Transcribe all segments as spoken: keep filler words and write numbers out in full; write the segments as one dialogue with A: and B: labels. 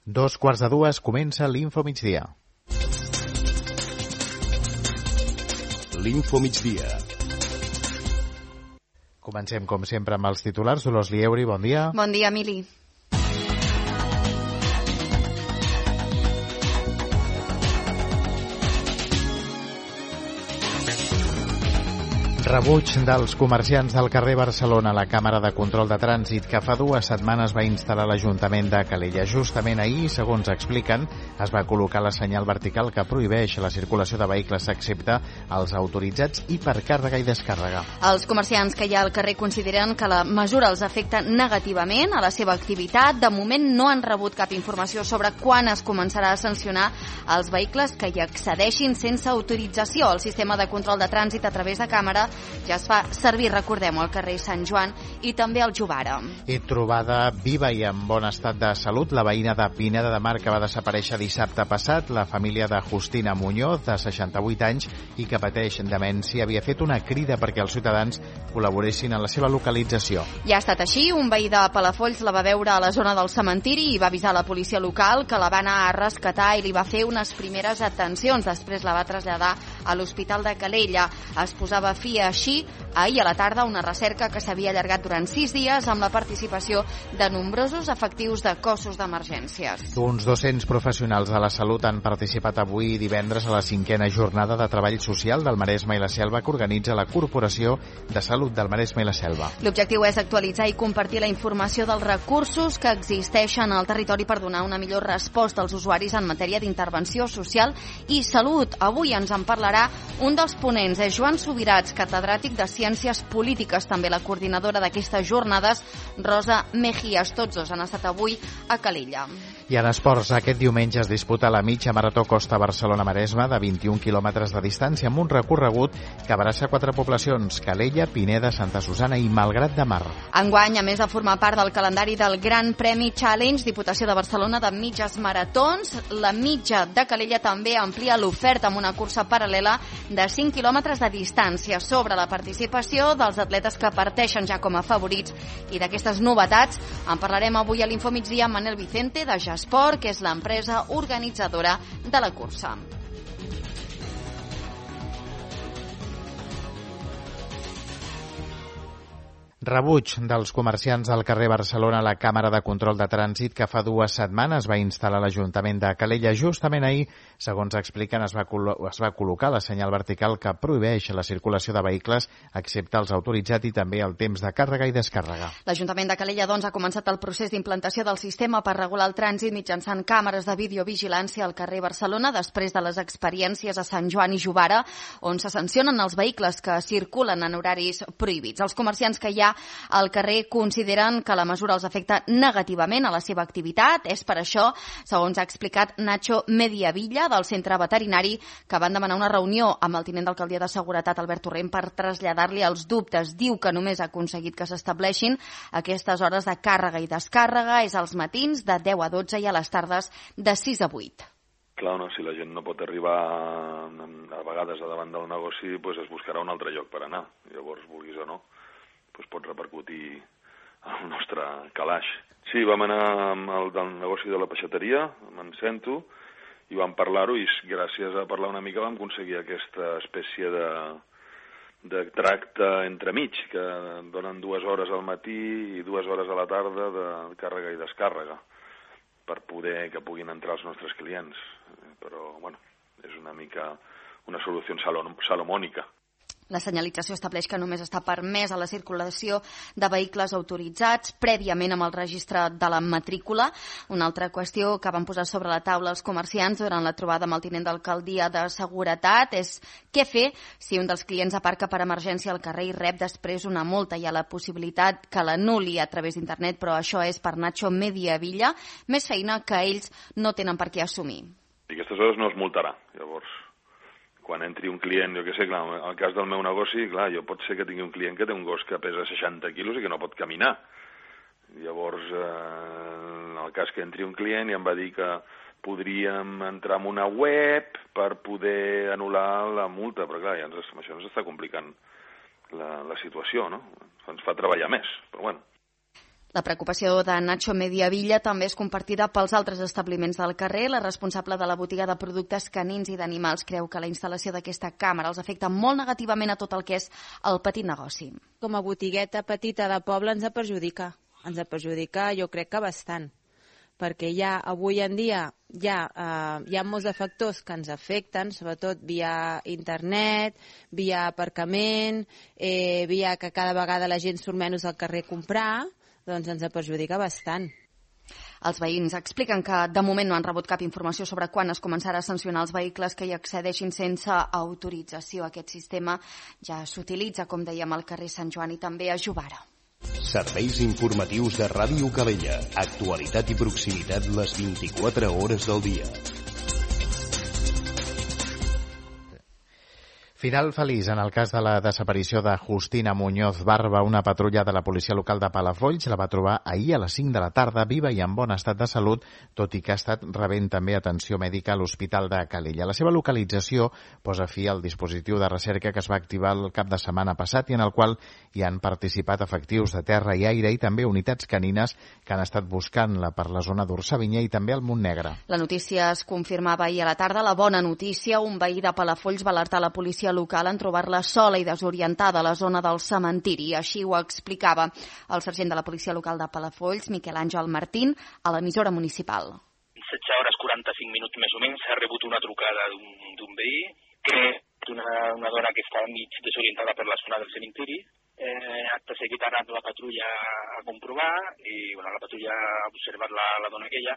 A: Dos quarts de dues comença l'Info Migdia.
B: L'Info Migdia.
A: Comencem, com sempre, amb els titulars. Dolors Lieuri, bon dia.
C: Bon dia, Emili.
A: Rebuig dels comerciants del carrer Barcelona a la Càmera de Control de Trànsit que fa dues setmanes va instal·lar l'Ajuntament de Calella. Justament ahir, segons expliquen, es va col·locar la senyal vertical que prohibeix la circulació de vehicles excepte els autoritzats i per càrrega i descàrrega.
C: Els comerciants que hi ha al carrer consideren que la mesura els afecta negativament a la seva activitat. De moment no han rebut cap informació sobre quan es començarà a sancionar els vehicles que hi accedeixin sense autorització. El sistema de control de trànsit a través de càmera ja es fa servir, recordem-ho, al carrer Sant Joan i també al Jovara.
A: I trobada viva i en bon estat de salut, la veïna de Pineda de Mar que va desaparèixer dissabte passat, la família de Justina Muñoz, de seixanta-vuit anys, i que pateix demència, havia fet una crida perquè els ciutadans col·laboressin en la seva localització.
C: Ja ha estat així, un veí de Palafolls la va veure a la zona del cementiri i va avisar la policia local, que la va anar a rescatar i li va fer unes primeres atencions. Després la va traslladar a l'Hospital de Calella. Es posava fi així ahir a la tarda una recerca que s'havia allargat durant sis dies amb la participació de nombrosos efectius de cossos d'emergències.
A: Uns dos-cents professionals de la salut han participat avui divendres a la cinquena jornada de treball social del Maresme i la Selva que organitza la Corporació de Salut del Maresme i la Selva.
C: L'objectiu és actualitzar i compartir la informació dels recursos que existeixen al territori per donar una millor resposta als usuaris en matèria d'intervenció social i salut. Avui ens en parlarà un dels ponents, és Joan Subirats, catedràtic de Ciències Polítiques, també la coordinadora d'aquestes jornades, Rosa Mejías. Tots dos han estat avui a Calella.
A: I en esports, aquest diumenge es disputa la mitja marató Costa Barcelona-Maresme de vint-i-un quilòmetres de distància amb un recorregut que abraça quatre poblacions: Calella, Pineda, Santa Susana i Malgrat de Mar.
C: Enguany, a més de formar part del calendari del Gran Premi Challenge, Diputació de Barcelona de mitges maratons, la mitja de Calella també amplia l'oferta amb una cursa paral·lela de cinc quilòmetres de distància. Sobre la participació dels atletes que parteixen ja com a favorits i d'aquestes novetats en parlarem avui a l'Info Migdia amb Manel Vicente de Jasport, que és l'empresa organitzadora de la cursa.
A: Rebuig dels comerciants del carrer Barcelona a la Càmera de Control de Trànsit que fa dues setmanes va instal·lar l'Ajuntament de Calella. Justament ahir, segons expliquen, es va, es va col·locar la senyal vertical que prohibeix la circulació de vehicles excepte els autoritzats i també el temps de càrrega i descàrrega.
C: L'Ajuntament de Calella, doncs, ha començat el procés d'implantació del sistema per regular el trànsit mitjançant càmeres de videovigilància al carrer Barcelona després de les experiències a Sant Joan i Jovara, on se sancionen els vehicles que circulen en horaris prohibits. Els comerciants que hi ha al carrer consideren que la mesura els afecta negativament a la seva activitat. És per això, segons ha explicat Nacho Mediavilla, del centre veterinari, que van demanar una reunió amb el tinent d'alcaldia de Seguretat, Albert Torrent, per traslladar-li els dubtes. Diu que només ha aconseguit que s'estableixin aquestes hores de càrrega i descàrrega, és als matins de deu a dotze i a les tardes de sis a vuit.
D: Clar, no, si la gent no pot arribar a vegades a davant del negoci, doncs es buscarà un altre lloc per anar. Llavors, vulguis o no, doncs pot repercutir al nostre calaix. Sí, vam anar al del negoci de la peixateria, me'n sento, i vam parlar-ho, i gràcies a parlar una mica vam aconseguir aquesta espècie de, de tracte entremig, que donen dues hores al matí i dues hores a la tarda de càrrega i descàrrega, per poder que puguin entrar els nostres clients. Però, bueno, és una mica una solució salomònica.
C: La senyalització estableix que només està permès a la circulació de vehicles autoritzats prèviament amb el registre de la matrícula. Una altra qüestió que van posar sobre la taula els comerciants durant la trobada amb el tinent d'alcaldia de Seguretat és què fer si un dels clients aparca per emergència al carrer i rep després una multa. Hi ha la possibilitat que l'anul·li a través d'internet, però això és per Nacho Mediavilla, més feina que ells no tenen per què assumir.
D: I aquestes hores no es multarà, llavors. Quan entri un client, jo què sé, clar, en el cas del meu negoci, clar, jo pot ser que tingui un client que té un gos que pesa seixanta quilos i que no pot caminar. Llavors, eh, en el cas que entri un client i em va dir que podríem entrar en una web per poder anul·lar la multa, però clar, ja ens, això ens està complicant la, la situació, no? Ens fa treballar més, però bueno.
C: La preocupació de Nacho Mediavilla també és compartida pels altres establiments del carrer. La responsable de la botiga de productes canins i d'animals creu que la instal·lació d'aquesta càmera els afecta molt negativament a tot el que és el petit negoci.
B: Com a botigueta petita de poble ens perjudica. Ens perjudica jo crec que bastant, perquè ja avui en dia ja, eh, hi ha molts de factors que ens afecten, sobretot via internet, via aparcament, eh, via que cada vegada la gent surt menys al carrer a comprar, doncs ens perjudica bastant.
C: Els veïns expliquen que de moment no han rebut cap informació sobre quan es començarà a sancionar els vehicles que hi accedeixin sense autorització. Aquest sistema ja s'utilitza, com dèiem, al carrer Sant Joan i també a Jovara.
E: Serveis informatius de Ràdio Calella. Actualitat i proximitat les vint-i-quatre hores del dia.
A: Final feliç en el cas de la desaparició de Justina Muñoz Barba. Una patrulla de la policia local de Palafolls la va trobar ahir a les cinc de la tarda, viva i en bon estat de salut, tot i que ha estat rebent també atenció mèdica a l'Hospital de Calella. La seva localització posa fi al dispositiu de recerca que es va activar el cap de setmana passat i en el qual hi han participat efectius de terra i aire i també unitats canines que han estat buscant-la per la zona d'Orsavinyà i també al Montnegre.
C: La notícia es confirmava ahir a la tarda. La bona notícia, un veí de Palafolls va alertar la policia local en trobar-la sola i desorientada a la zona del cementiri. Així ho explicava el sergent de la policia local de Palafolls, Miquel Àngel Martín, a l'emissora municipal.
F: setze hores quaranta-cinc minuts més o menys s'ha rebut una trucada d'un veí que és una, una dona que està mig desorientada per la zona del cementiri. Eh, acte seguit ha anat la patrulla a comprovar i bueno, la patrulla ha observat la, la dona aquella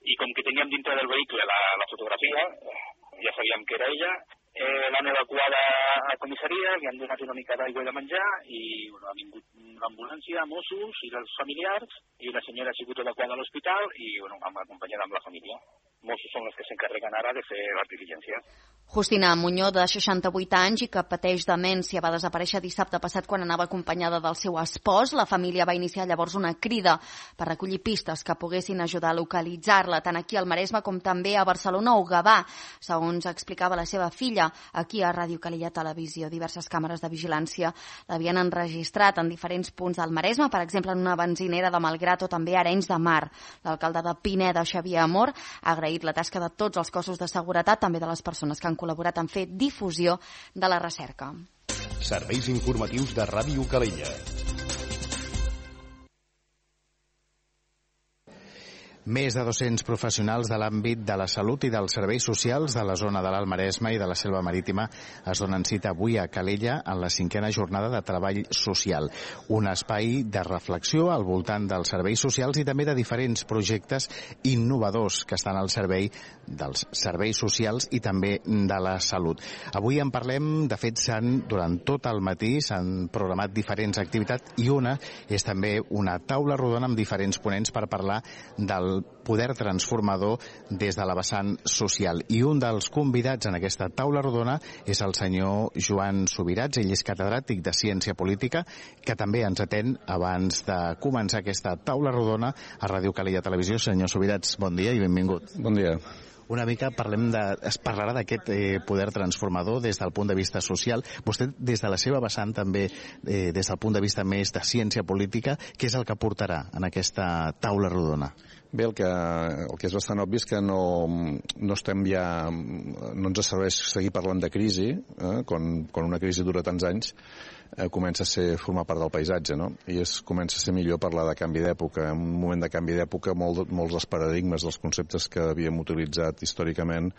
F: i com que teníem dintre del vehicle la, la fotografia, ja sabíem que era ella. Eh, l'han evacuada a la comissaria, li han donat una mica d'aigua i de menjar i bueno, ha vingut l'ambulància, Mossos i els familiars i la senyora ha sigut evacuada a l'hospital i bueno, hem acompanyat amb la família. Mossos són els que s'encarreguen ara de fer les diligències.
C: Justina Muñoz, de seixanta-vuit anys i que pateix demència, va desaparèixer dissabte passat quan anava acompanyada del seu espòs. La família va iniciar llavors una crida per recollir pistes que poguessin ajudar a localitzar-la, tant aquí al Maresme com també a Barcelona o Gavà. Segons explicava la seva filla, aquí a Ràdio Calella Televisió, diverses càmeres de vigilància l'havien enregistrat en diferents punts del Maresme, per exemple en una benzinera de Malgrat o també a Arenys de Mar. L'alcalde de Pineda, Xavier Amor, ha agraït la tasca de tots els cossos de seguretat, també de les persones que han col·laborat en fer difusió de la recerca.
E: Serveis informatius de Ràdio Calella.
A: Més de dos-cents professionals de l'àmbit de la salut i dels serveis socials de la zona de l'Alt Maresme i de la Selva Marítima es donen cita avui a Calella en la cinquena jornada de treball social. Un espai de reflexió al voltant dels serveis socials i també de diferents projectes innovadors que estan al servei dels serveis socials i també de la salut. Avui en parlem, de fet, s'han, durant tot el matí s'han programat diferents activitats i una és també una taula rodona amb diferents ponents per parlar del poder transformador des de la vessant social. I un dels convidats en aquesta taula rodona és el senyor Joan Subirats. Ell és catedràtic de Ciència Política, que també ens atén abans de començar aquesta taula rodona a Ràdio Calella Televisió. Senyor Subirats, bon dia i benvingut.
G: Bon dia.
A: Una mica parlem de, es parlarà d'aquest eh, poder transformador des del punt de vista social. Vostè, des de la seva vessant, també, eh, des del punt de vista més de ciència política, què és el que portarà en aquesta taula rodona?
G: Bé, el que, el que és bastant obvi és que no, no estem ja... no ens serveix seguir parlant de crisi, eh, quan, quan una crisi dura tants anys, eh, comença a ser, formar part del paisatge, no? I es comença a ser millor parlar de canvi d'època. En un moment de canvi d'època, molt, molts dels paradigmes, dels conceptes que havíem utilitzat històricament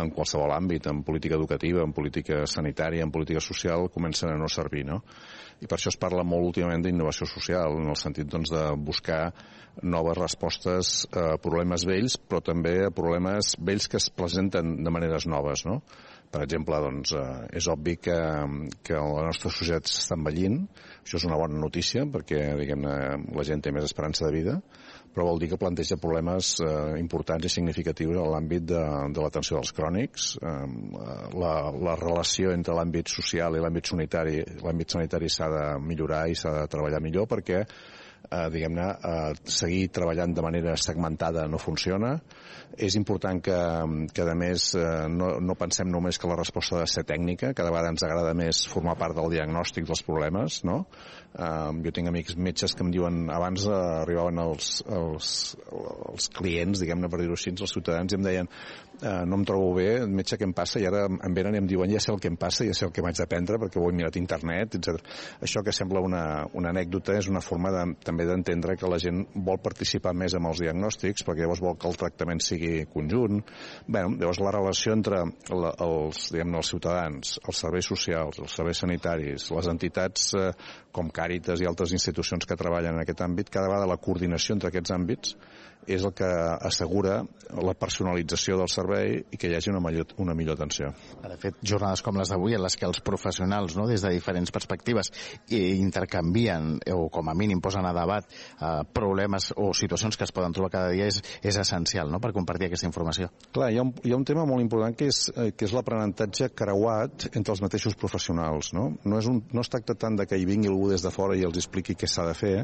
G: en qualsevol àmbit, en política educativa, en política sanitària, en política social, comencen a no servir, no? I per això es parla molt últimament d'innovació social, en el sentit doncs, de buscar noves respostes a problemes vells, però també a problemes vells que es presenten de maneres noves, no? Per exemple, doncs, eh, és obvi que, que la nostra societat s'està envellint. Això és una bona notícia perquè, diguem-ne, la gent té més esperança de vida, però vol dir que planteja problemes eh, importants i significatius en l'àmbit de, de l'atenció dels crònics. Eh, la, la relació entre l'àmbit social i l'àmbit sanitari, l'àmbit sanitari s'ha de millorar i s'ha de treballar millor perquè eh, diguem-ne, eh, seguir treballant de manera segmentada no funciona. És important que, que a més, eh, no, no pensem només que la resposta ha de ser tècnica, cada vegada ens agrada més formar part del diagnòstic dels problemes, no? Uh, jo tinc amics metges que em diuen, abans uh, arribaven els, els, els clients, diguem-ne per dir-ho així, els ciutadans, i em deien uh, no em trobo bé, metge, què em passa? I ara em venen i em diuen, ja sé el que em passa, ja sé el que m'haig d'aprendre perquè ho he mirat a internet, etcètera. Això que sembla una, una anècdota és una forma de, també d'entendre que la gent vol participar més amb els diagnòstics perquè llavors vol que el tractament sigui conjunt. Bé, llavors la relació entre la, els, diguem-ne, els ciutadans, els serveis socials, els serveis sanitaris, les entitats eh, com Càritas i altres institucions que treballen en aquest àmbit, cada vegada la coordinació entre aquests àmbits és el que assegura la personalització del servei i que hi hagi una millor, una millor atenció.
A: De fet, jornades com les d'avui en les que els professionals, no, des de diferents perspectives intercanvien o com a mínim posen a debat eh, problemes o situacions que es poden trobar cada dia és, és essencial, no?, per compartir aquesta informació.
G: Clar, hi ha un, hi ha un tema molt important que és, eh, que és l'aprenentatge creuat entre els mateixos professionals, no? No, és un, no es tracta tant de que hi vingui algú des de fora i els expliqui què s'ha de fer,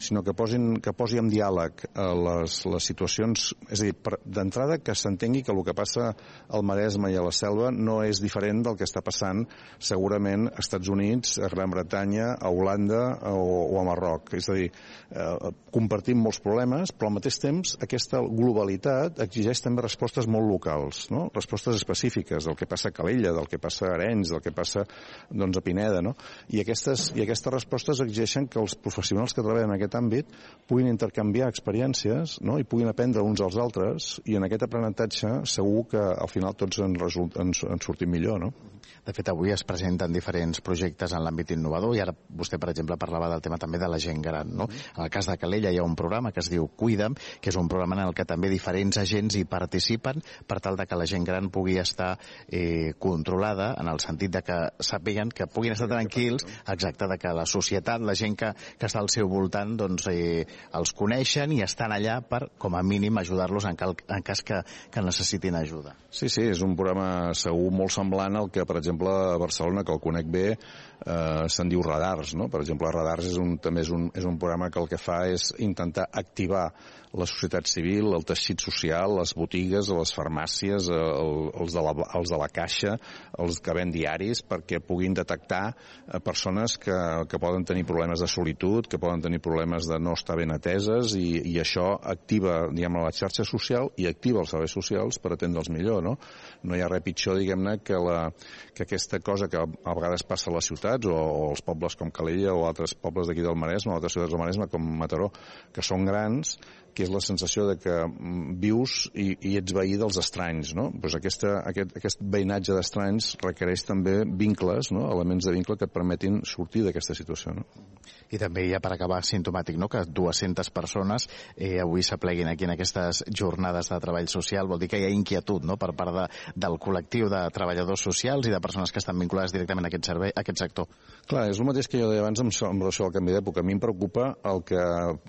G: sinó que, posin, que posi en diàleg eh, les, les situacions, és a dir, d'entrada que s'entengui que el que passa al Maresme i a la Selva no és diferent del que està passant segurament als Estats Units, a Gran Bretanya, a Holanda o, o a Marroc. És a dir, eh, compartim molts problemes, però al mateix temps aquesta globalitat exigeix també respostes molt locals, no? Respostes específiques del que passa a Calella, del que passa a Arenys, del que passa doncs, a Pineda, no? I aquestes, i aquestes respostes exigeixen que els professionals que treballen en aquest àmbit puguin intercanviar experiències, no?, i puguin aprendre uns als altres, i en aquest aprenentatge segur que al final tots en, result, en, en sortim millor, no?
A: De fet, avui es presenten diferents projectes en l'àmbit innovador i ara vostè, per exemple, parlava del tema també de la gent gran, no? En el cas de Calella hi ha un programa que es diu Cuida'm, que és un programa en el que també diferents agents hi participen per tal de que la gent gran pugui estar eh, controlada, en el sentit de que sàpiguen que puguin estar tranquils, exacte, de que la societat, la gent que, que està al seu voltant, doncs eh, els coneixen i estan allà per, com a mínim, ajudar-los en, cal, en cas que, que necessitin ajuda.
G: Sí, sí, és un programa segur molt semblant al que, per exemple, a Barcelona, que el conec bé, eh, se'n diu Radars, no? Per exemple, Radars és un, també és un, és un programa que el que fa és intentar activar la societat civil, el teixit social, les botigues, les farmàcies, el, els, de la, els de la caixa, els que ven diaris, perquè puguin detectar persones que, que poden tenir problemes de solitud, que poden tenir problemes de no estar ben ateses, i, i això activa, diguem, la xarxa social i activa els serveis socials per atendre'ls millor, no? No hi ha res pitjor, diguem-ne, que, la, que aquesta cosa que a vegades passa a les ciutats o, o als pobles com Calella o altres pobles d'aquí del Maresme o altres ciutats del Maresme com Mataró, que són grans, que és la sensació de que vius i, i ets veí dels estranys, no? Pues aquesta, aquest, aquest veïnatge d'estranys requereix també vincles, no? Elements de vincle que et permetin sortir d'aquesta situació, no?
A: I també ja per acabar simptomàtic, no?, que dues-centes persones eh, avui s'apleguin aquí en aquestes jornades de treball social, vol dir que hi ha inquietud, no?, per part de, del col·lectiu de treballadors socials i de persones que estan vinculades directament a aquest servei, a aquest sector.
G: Clar, és el mateix que jo deia abans amb, amb relació al canvi d'època. A mi em preocupa el que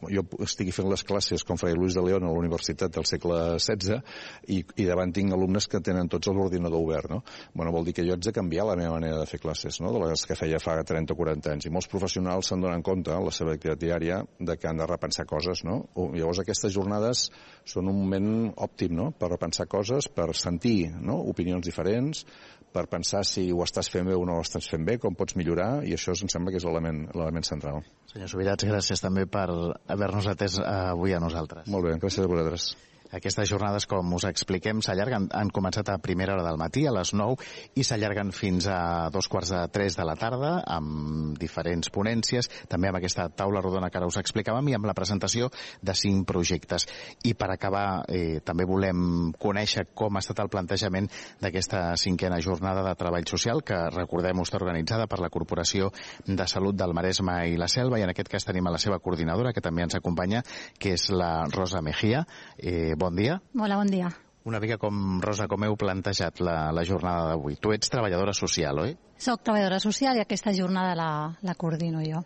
G: jo estigui fent les classes com feia Luis de León a la Universitat del segle setze i, i davant tinc alumnes que tenen tots l'ordinador obert, no? Bueno, vol dir que jo haig de canviar la meva manera de fer classes, no?, de les que feia fa trenta o quaranta anys. I molts professionals se'n donen compte, en la seva activitat diària, de que han de repensar coses, no? Llavors aquestes jornades són un moment òptim, no?, per repensar coses, per sentir, no?, opinions diferents, per pensar si ho estàs fent bé o no ho estàs fent bé, com pots millorar, i això em sembla que és l'element central.
A: Senyor Subirats, gràcies també per haver-nos atès avui a nosaltres.
G: Molt bé, gràcies a vosaltres.
A: Aquestes jornades, com us expliquem, s'allarguen, han començat a primera hora del matí, a les nou, i s'allarguen fins a dos quarts de tres de la tarda, amb diferents ponències, també amb aquesta taula rodona que ara us explicàvem, i amb la presentació de cinc projectes. I per acabar, eh, també volem conèixer com ha estat el plantejament d'aquesta cinquena jornada de treball social, que, recordem, està organitzada per la Corporació de Salut del Maresme i la Selva, i en aquest cas tenim a la seva coordinadora, que també ens acompanya, que és la Rosa Mejía. Eh, Bon dia.
H: Hola, bon dia.
A: Una mica com, Rosa, com heu plantejat la, la jornada d'avui. Tu ets treballadora social, oi?
H: Soc treballadora social i aquesta jornada la, la coordino jo.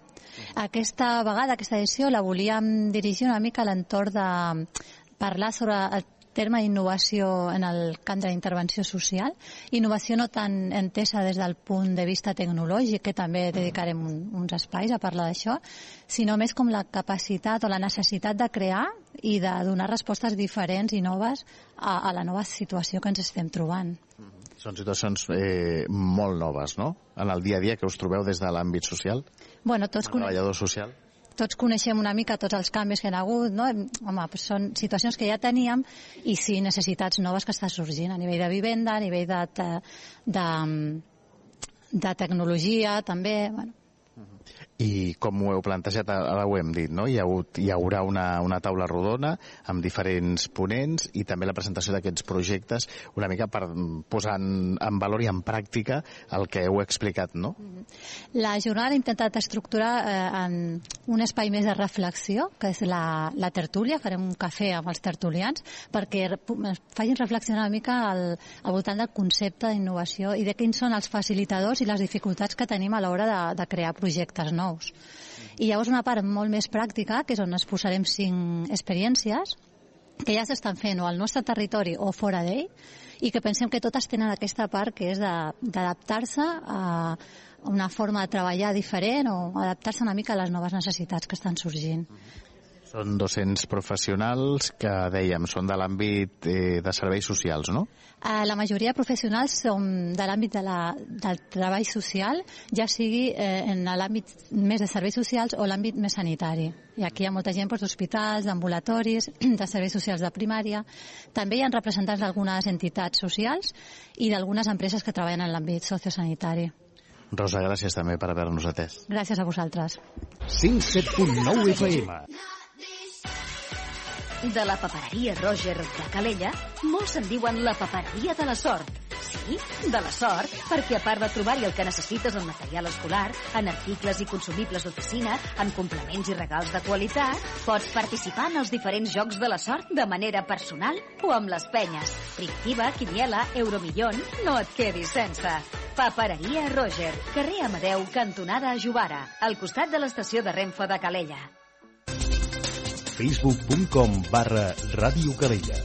H: Aquesta vegada, aquesta edició, la volíem dirigir una mica a l'entorn de parlar sobre el terme innovació en el camp de la intervenció social, innovació no tan entesa des del punt de vista tecnològic, que també dedicarem un, uns espais a parlar d'això, sinó més com la capacitat o la necessitat de crear i de donar respostes diferents i noves a, a la nova situació que ens estem trobant.
A: Són situacions eh, molt noves, no?, en el dia a dia que us trobeu des de l'àmbit social,
H: bueno, tots
A: el treballador social.
H: Tots coneixem una mica tots els canvis que hi ha hagut, no? Home, doncs són situacions que ja teníem i sí, necessitats noves que estan sorgint a nivell de vivenda, a nivell de, de, de, de tecnologia, també, bueno.
A: I com ho heu plantejat, ara ho hem dit, no? Hi, ha hagut, hi haurà una, una taula rodona amb diferents ponents i també la presentació d'aquests projectes, una mica per posar en, en valor i en pràctica el que heu explicat, no?
H: La jornada l'he intentat estructurar eh, en un espai més de reflexió, que és la, la tertúlia. Farem un cafè amb els tertulians perquè facin reflexionar una mica al, al voltant del concepte d'innovació i de quins són els facilitadors i les dificultats que tenim a l'hora de, de crear projectes nous. I llavors una part molt més pràctica, que és on es posarem cinc experiències que ja s'estan fent o al nostre territori o fora d'ell, i que pensem que totes tenen aquesta part que és d'adaptar-se a una forma de treballar diferent o adaptar-se una mica a les noves necessitats que estan sorgint.
A: Són dos-cents professionals que, dèiem, són de l'àmbit eh, de serveis socials, no?
H: Eh, la majoria de professionals som de l'àmbit de la, del treball social, ja sigui eh, en l'àmbit més de serveis socials o l'àmbit més sanitari. I aquí hi ha molta gent doncs, d'hospitals, d'ambulatoris, de serveis socials de primària. També hi ha representants d'algunes entitats socials i d'algunes empreses que treballen en l'àmbit sociosanitari.
A: Rosa, gràcies també per haver-nos atès.
H: Gràcies a vosaltres.
E: cent set punt nou F M.
I: De la papereria Roger de Calella, molts en diuen la papereria de la sort. Sí, de la sort, perquè a part de trobar-hi el que necessites en material escolar, en articles i consumibles d'oficina, en complements i regals de qualitat, pots participar en els diferents jocs de la sort de manera personal o amb les penyes. Primitiva, Quiniela, Euromillón, no et quedis sense. Papereria Roger, carrer Amadeu, cantonada Jovara, al costat de l'estació de Renfe de Calella.
E: facebook punt com barra Ràdio Calella.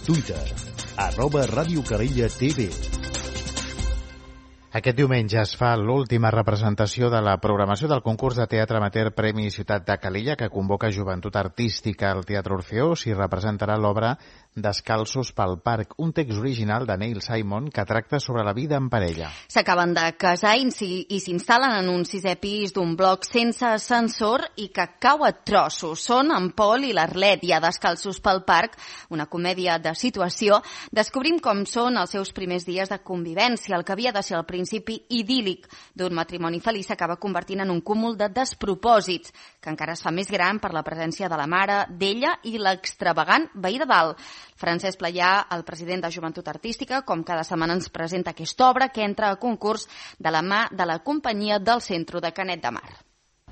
E: Twitter, arroba Ràdio Calella T V.
A: Aquest diumenge es fa l'última representació de la programació del concurs de teatre amateur Premi Ciutat de Calella, que convoca Joventut Artística al Teatre Orfeó. S'hi representarà l'obra Descalços pel parc, un text original de Neil Simon que tracta sobre la vida en parella.
C: S'acaben de casar i s'instal·len en un sisè pis d'un bloc sense ascensor i que cau a trossos. Són en Pol i l'Arlet i a Descalços pel parc, una comèdia de situació. Descobrim com són els seus primers dies de convivència. El que havia de ser el principi idíl·lic d'un matrimoni feliç s'acaba convertint en un cúmul de despropòsits, que encara es fa més gran per la presència de la mare, d'ella i l'extravagant veí de dalt. Francesc Playà, el president de Joventut Artística, com cada setmana ens presenta aquesta obra que entra a concurs de la mà de la companyia del Centre de Canet de Mar.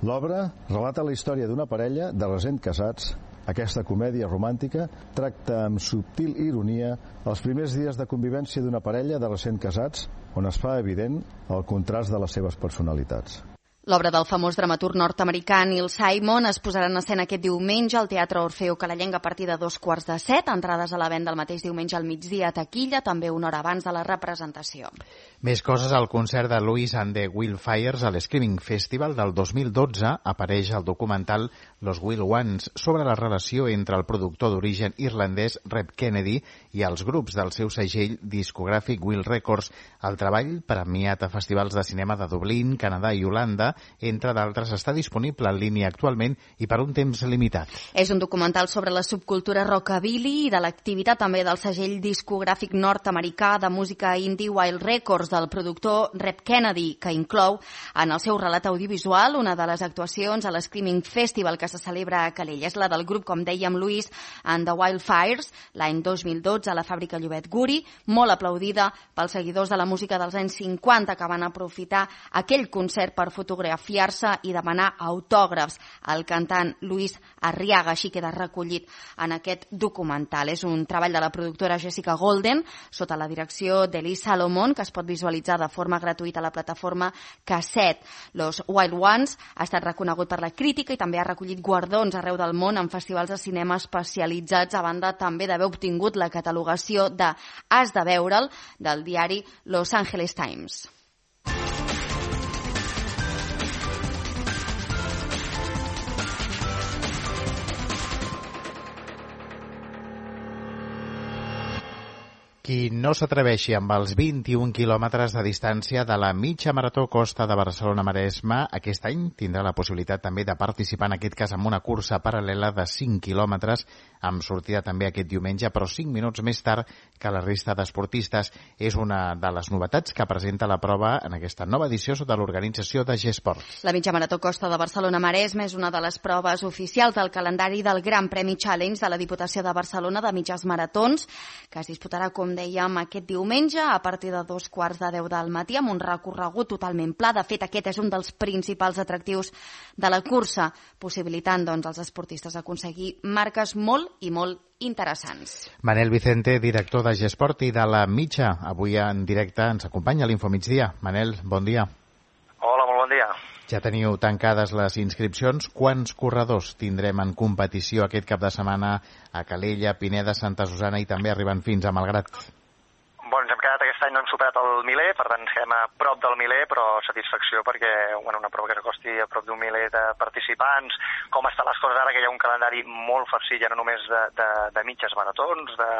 J: L'obra relata la història d'una parella de recent casats. Aquesta comèdia romàntica tracta amb subtil ironia els primers dies de convivència d'una parella de recent casats, on es fa evident el contrast de les seves personalitats.
C: L'obra del famós dramaturg nord-americà Neil Simon es posarà en escena aquest diumenge al Teatre Orfeo Calellenc a partir de dos quarts de set. Entrades a la venda el mateix diumenge al migdia a taquilla, també una hora abans de la representació.
A: Més coses al concert de Louis and the Wildfires a l'Screaming Festival del dos mil dotze. Apareix el documental Los Wild Ones sobre la relació entre el productor d'origen irlandès Reb Kennedy i els grups del seu segell discogràfic Wild Records. El treball, premiat a festivals de cinema de Dublín, Canadà i Holanda, entre d'altres, està disponible en línia actualment i per un temps limitat.
C: És un documental sobre la subcultura rockabilly i de l'activitat també del segell discogràfic nord-americà de música indie Wild Records del productor Reb Kennedy, que inclou en el seu relat audiovisual una de les actuacions a l'Screaming Festival que se celebra a Calella. És la del grup, com dèiem, Louis and the Wildfires, l'any dos mil dotze a la fàbrica Llobet Guri, molt aplaudida pels seguidors de la música dels anys cinquanta que van aprofitar aquell concert per fotografiar autografiar-se i demanar autògrafs al cantant Luis Arriaga, així queda recollit en aquest documental. És un treball de la productora Jessica Golden, sota la direcció d'Elie Salomon, que es pot visualitzar de forma gratuïta a la plataforma Cassette. Los Wild Ones ha estat reconegut per la crítica i també ha recollit guardons arreu del món en festivals de cinema especialitzats, a banda també d'haver obtingut la catalogació de Has de veure'l del diari Los Angeles Times.
A: Qui no s'atreveixi amb els vint-i-un quilòmetres de distància de la mitja marató Costa de Barcelona-Maresme aquest any tindrà la possibilitat també de participar, en aquest cas, en una cursa paral·lela de cinc quilòmetres, amb sortida també aquest diumenge, però cinc minuts més tard que la resta d'esportistes. És una de les novetats que presenta la prova en aquesta nova edició sota l'organització de G-Sport.
C: La mitja marató Costa de Barcelona-Maresme és una de les proves oficials del calendari del Gran Premi Challenge de la Diputació de Barcelona de mitges maratons, que es disputarà, com dèiem, aquest diumenge a partir de dos quarts de deu del matí amb un recorregut totalment pla. De fet, aquest és un dels principals atractius de la cursa, possibilitant doncs, als esportistes aconseguir marques molt i molt interessants.
A: Manel Vicente, director de G-Sport i de la mitja, avui en directe ens acompanya a l'Infomigdia. Manel, bon dia.
K: Hola, molt bon dia.
A: Ja teniu tancades les inscripcions. Quants corredors tindrem en competició aquest cap de setmana a Calella, Pineda, Santa Susana i també arribant fins a Malgrat?
K: Bueno, ens hem quedat aquest any, no hem superat el miler, per tant estem a prop del miler, però satisfacció perquè bueno, una prova que s'acosti a prop d'un miler de participants. Com estan les coses ara, que hi ha un calendari molt farcit, ja no només de, de, de mitges maratons, de,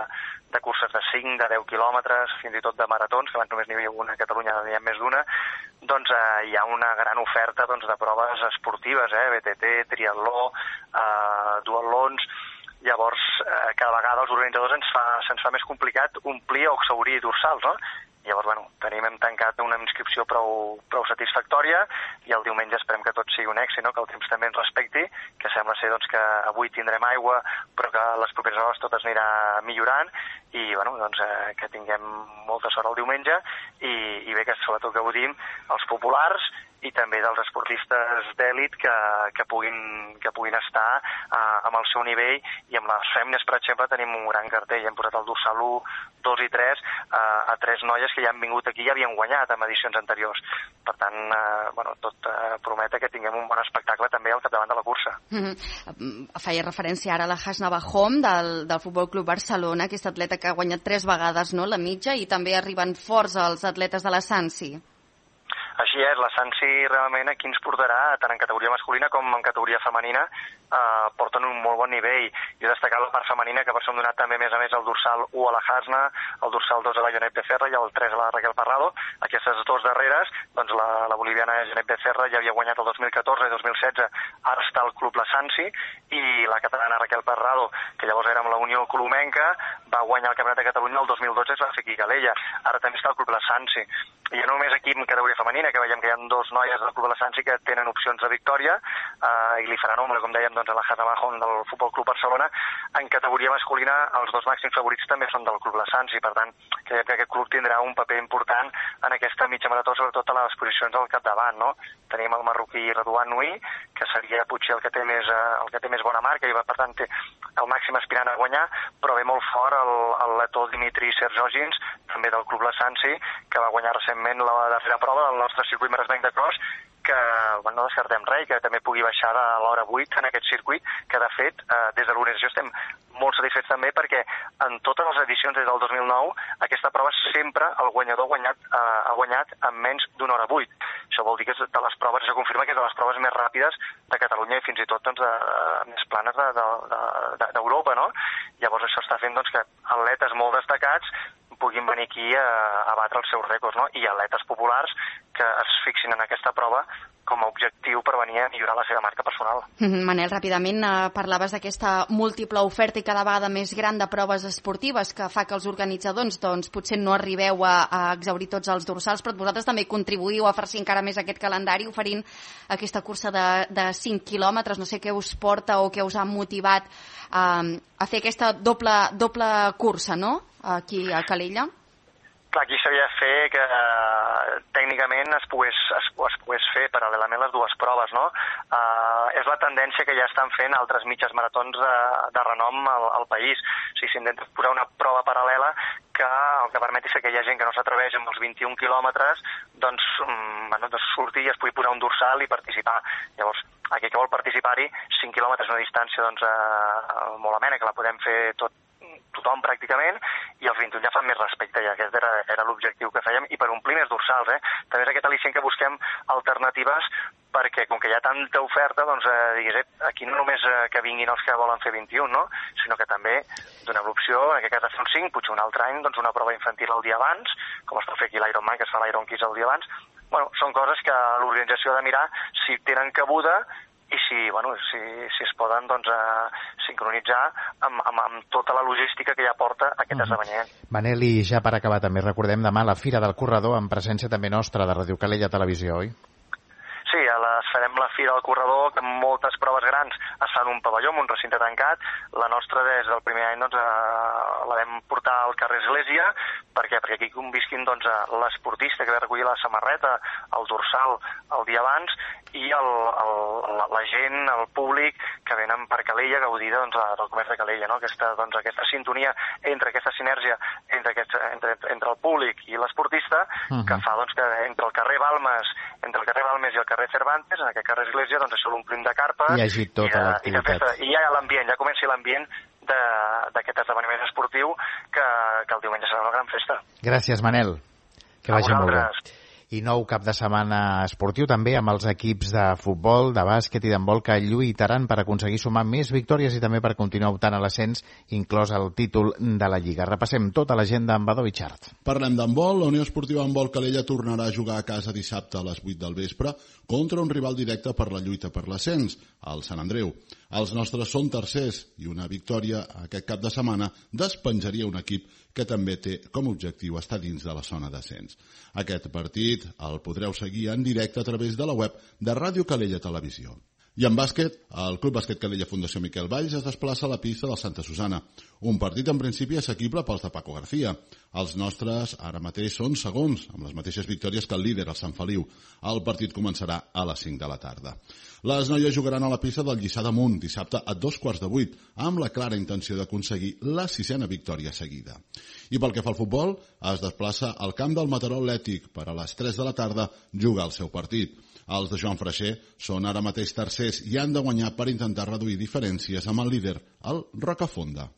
K: de curses de cinc, de deu quilòmetres, fins i tot de maratons, que abans només n'hi havia una a Catalunya, n'hi ha més d'una, doncs eh, hi ha una gran oferta doncs, de proves esportives, eh, B T T, triatló, eh, duatlons. Llavors, eh, cada vegada els organitzadors ens fa, se'ns fa més complicat omplir o exhaurir dorsals, no? Llavors, bueno, tenim hem tancat una inscripció prou, prou satisfactòria i el diumenge esperem que tot sigui un èxit, no? Que el temps també ens respecti, que sembla ser doncs, que avui tindrem aigua, però que les properes hores tot es anirà millorant i bueno, doncs, eh, que tinguem molta sort el diumenge i, i bé que sobretot que gaudim els populars i també dels esportistes d'èlit que, que, puguin, que puguin estar uh, amb el seu nivell i amb les fèmines, per exemple, tenim un gran cartell, hem posat el dorsal u, dos i tres uh, a tres noies que ja han vingut aquí i havien guanyat en edicions anteriors. Per tant, uh, bueno, tot uh, promete que tinguem un bon espectacle també al capdavant de la cursa.
C: Mm-hmm. Feia referència ara a la Hasna Bahom del, del Futbol Club Barcelona, aquesta atleta que ha guanyat tres vegades, no?, la mitja, i també arriben forts els atletes de la Sansi.
K: Així és, la Sansi realment aquí ens portarà, tant en categoria masculina com en categoria femenina, eh, porten un molt bon nivell. Jo he destacat la part femenina, que per això hem donat també, a més a més, el dorsal u a la Hasna, el dorsal dos a la Janet Becerra i el tres a la Raquel Parrado. Aquestes dues darreres, doncs la, la boliviana Janet Becerra ja havia guanyat el dos mil catorze i dos mil setze, ara està al Club La Sansi, i la catalana Raquel Parrado, que llavors era amb la Unió Colomenca, va guanyar el Campionat de Catalunya el dos mil dotze, es va fer aquí a Calella. Ara també està al Club La Sansi. I no només aquí en categoria femenina, que veiem que hi ha dos noies del Club de la Sansi que tenen opcions de victòria eh, i li faran ombra, com dèiem, doncs, a la Hasna Bahom del Futbol Club Barcelona. En categoria masculina, els dos màxims favorits també són del Club de la Sansi, per tant, creiem que aquest club tindrà un paper important en aquesta mitja marató, sobretot a les posicions al capdavant, no? Tenim el marroquí Redouan Nui, que seria potser el que té més, eh, el que té més bona marca i per tant té el màxim aspirant a guanyar, però ve molt fort el, el letó Dimitri Serjogins, també del Club La Sansi, que va guanyar recentment la darrera prova del nostre circuit maresmenc de cross, que bueno, no descartem res, que també pugui baixar de l'hora vuit en aquest circuit, que de fet eh, des de l'organització estem molt satisfets també perquè en totes les edicions des del dos mil nou aquesta prova sempre el guanyador ha guanyat, eh, ha guanyat en menys d'una hora vuit. Això vol dir que és de les proves, això confirma que és de les proves més ràpides de Catalunya i fins i tot doncs, de, de, més planes d'Europa, de, de, de, no? Llavors això està fent doncs, que atletes molt destacats puguin venir aquí a, a batre els seus rècords, no? I atletes populars que es fixin en aquesta prova com a objectiu per venir a millorar la seva marca personal.
C: Mm-hmm. Manel, ràpidament eh, parlaves d'aquesta múltiple oferta i cada vegada més gran de proves esportives que fa que els organitzadors doncs, potser no arribeu a, a exhaurir tots els dorsals, però vosaltres també contribuïu a farcir encara més aquest calendari oferint aquesta cursa de, de cinc quilòmetres. No sé què us porta o què us ha motivat eh, a fer aquesta doble, doble cursa, no?, aquí a Calella.
K: clar, aquí s'havia de fer que eh, tècnicament es pogués, es, es pogués fer paral·lelament les dues proves, no? Uh, és la tendència que ja estan fent altres mitges maratons de, de renom al, al país. O sigui, s'intenta posar una prova paral·lela que el que permeti és que hi ha gent que no s'atreveix amb els vint-i-un quilòmetres, doncs, um, bueno, doncs surti i es pugui posar un dorsal i participar. Llavors, aquell que vol participar-hi, cinc quilòmetres és una distància doncs, uh, molt amena, que la podem fer tot tothom pràcticament, i els vint-i-un ja fan més respecte, i aquest era, era l'objectiu que fèiem, i per omplir més dorsals, eh? També és aquest al·licient que busquem alternatives, perquè com que hi ha tanta oferta, doncs eh, diguis, eh, aquí no només eh, que vinguin els que volen fer vint-i-un, no? Sinó que també donem l'opció, en aquest cas de fer un cinc, potser un altre any, doncs una prova infantil el dia abans, com es pot fer aquí l'Ironman, que es fa l'Iron Kids el dia abans. Bueno, són coses que l'organització ha de mirar si tenen cabuda i si, bueno, si, si es poden doncs, eh, sincronitzar amb, amb, amb tota la logística que ja porta aquest uh-huh. esdeveniment.
A: Manel, i ja per acabar també recordem demà la Fira del Corredor en presència també nostra de Ràdio Calella Televisió, oi?
K: Sí, a les, farem la Fira del Corredor, que moltes proves grans es fan un pavelló, un recinte tancat. La nostra des del primer any doncs, eh, la vam portar al carrer Església, perquè, perquè aquí convisquin doncs, l'esportista que ve a recollir la samarreta, el dorsal el dia abans, i el, el, la, la gent, el públic que venen per Calella a gaudir doncs, del comerç de Calella, no? Aquesta, doncs, aquesta sintonia entre aquesta sinergia entre, aquest, entre, entre el públic i l'esportista, uh-huh. que fa doncs, que entre el carrer Balmes, entre el carrer Balmes i el carrer Cervantes, en aquest carrer Església, doncs això l'omplim de carpes.
A: Hi hagi tota l'activitat.
K: I ja hi ha l'ambient, ja comença l'ambient d'aquest esdeveniment esportiu que, que el diumenge serà una gran festa.
A: Gràcies, Manel. Que vagi molt bé. I nou cap de setmana esportiu també amb els equips de futbol, de bàsquet i d'handbol que lluitaran per aconseguir sumar més victòries i també per continuar optant a l'ascens, inclòs el títol de la Lliga. Repassem tota l'agenda amb Badó Vichart.
L: Parlem d'handbol. La Unió Esportiva Handbol Calella tornarà a jugar a casa dissabte a les vuit del vespre contra un rival directe per la lluita per l'ascens, el Sant Andreu. Els nostres són tercers i una victòria aquest cap de setmana despenjaria un equip que també té com a objectiu estar dins de la zona d'ascens. Aquest partit el podreu seguir en directe a través de la web de Ràdio Calella Televisió. I en bàsquet, el Club Bàsquet Calella Fundació Miquel Valls es desplaça a la pista del Santa Susana. Un partit en principi assequible pels de Paco García. Els nostres ara mateix són segons, amb les mateixes victòries que el líder, el Sant Feliu. El partit començarà a les cinc de la tarda. Les noies jugaran a la pista del Lliçà d'Amunt dissabte a dos quarts de vuit, amb la clara intenció d'aconseguir la sisena victòria seguida. I pel que fa al futbol, es desplaça al camp del Mataró Atlètic per a les tres de la tarda jugar el seu partit. Els de Joan Freixer són ara mateix tercers i han de guanyar per intentar reduir diferències amb el líder, el Rocafonda.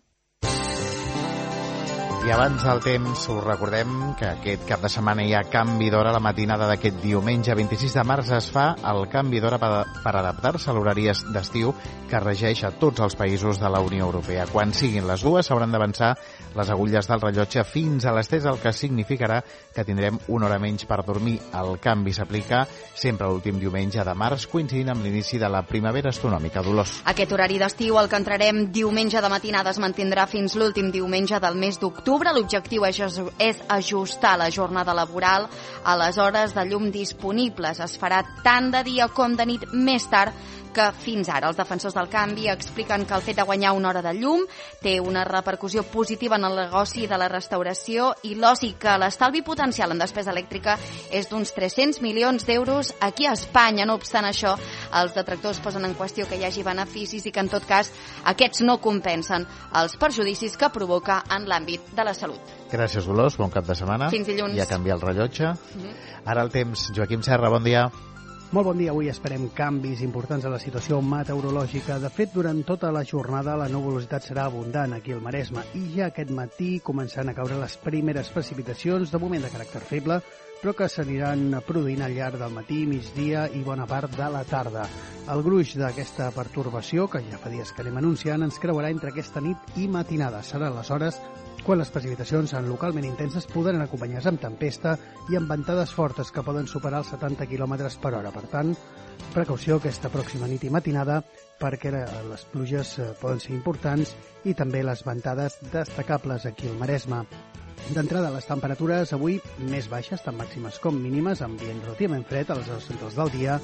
A: I abans del temps us recordem que aquest cap de setmana hi ha canvi d'hora. La matinada d'aquest diumenge vint-i-sis de març es fa el canvi d'hora per, per adaptar-se a l'horari d'estiu que regeix a tots els països de la Unió Europea. Quan siguin les dues s'hauran d'avançar les agulles del rellotge fins a les tres, el que significarà que tindrem una hora menys per dormir. El canvi s'aplica sempre l'últim diumenge de març, coincidint amb l'inici de la primavera astronòmica. Dolors.
C: Aquest horari d'estiu, el que entrarem diumenge de matinada, es mantindrà fins l'últim diumenge del mes d'octubre. L'objectiu és ajustar la jornada laboral a les hores de llum disponibles. Es farà tant de dia com de nit més tard que fins ara. Els defensors del canvi expliquen que el fet de guanyar una hora de llum té una repercussió positiva en el negoci de la restauració i l'oci, que l'estalvi potencial en despesa elèctrica és d'uns tres-cents milions d'euros aquí a Espanya. No obstant això, els detractors posen en qüestió que hi hagi beneficis i que en tot cas aquests no compensen els perjudicis que provoca en l'àmbit de la salut.
A: Gràcies, Dolors. Bon cap de setmana.
C: Fins dilluns.
A: Ja canvia el rellotge. Mm-hmm. Ara el temps. Joaquim Serra, bon dia.
M: Molt bon dia. Avui esperem canvis importants a la situació meteorològica. De fet, durant tota la jornada la nuvolositat serà abundant aquí al Maresme i ja aquest matí començaran a caure les primeres precipitacions, de moment de caràcter feble, però que s'aniran produint al llarg del matí, migdia i bona part de la tarda. El gruix d'aquesta pertorbació, que ja fa dies que anem anunciant, ens creuarà entre aquesta nit i matinada. Serà aleshores quan les precipitacions en localment intenses podran acompanyar-se amb tempesta i amb ventades fortes que poden superar els setanta quilòmetres per hora. Per tant, precaució aquesta pròxima nit i matinada perquè les pluges poden ser importants i també les ventades destacables aquí al Maresme. D'entrada, les temperatures avui més baixes, tant màximes com mínimes, ambient relativament fred a les hores centrals del dia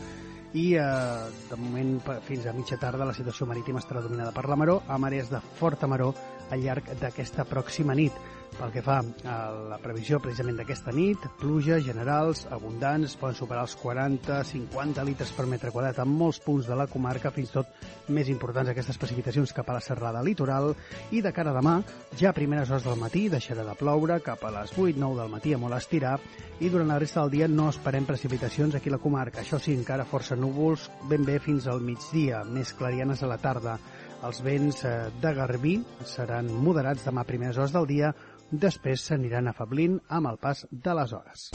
M: i eh, de moment fins a mitja tarda la situació marítima estarà dominada per la maró, a marees de forta maró al llarg d'aquesta pròxima nit. Pel que fa a la previsió precisament d'aquesta nit, pluges generals abundants, poden superar els quaranta a cinquanta litres per metre quadrat en molts punts de la comarca, fins i tot més importants aquestes precipitacions cap a la serrada litoral, i de cara a demà, ja a primeres hores del matí deixarà de ploure cap a les vuit nou del matí a molt estirar, i durant la resta del dia no esperem precipitacions aquí a la comarca. Això sí, encara força núvols ben bé fins al migdia, més clarianes a la tarda. Els vents de Garbí seran moderats demà a primeres hores del dia, després s'aniran afablint amb el pas de les hores.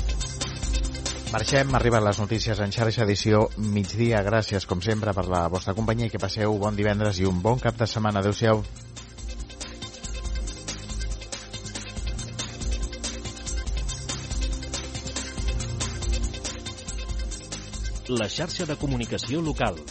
A: Marxem, arriben les notícies en xarxa edició migdia. Gràcies, com sempre, per la vostra companyia i que passeu bon divendres i un bon cap de setmana. Adéu-siau.
E: La xarxa de comunicació local.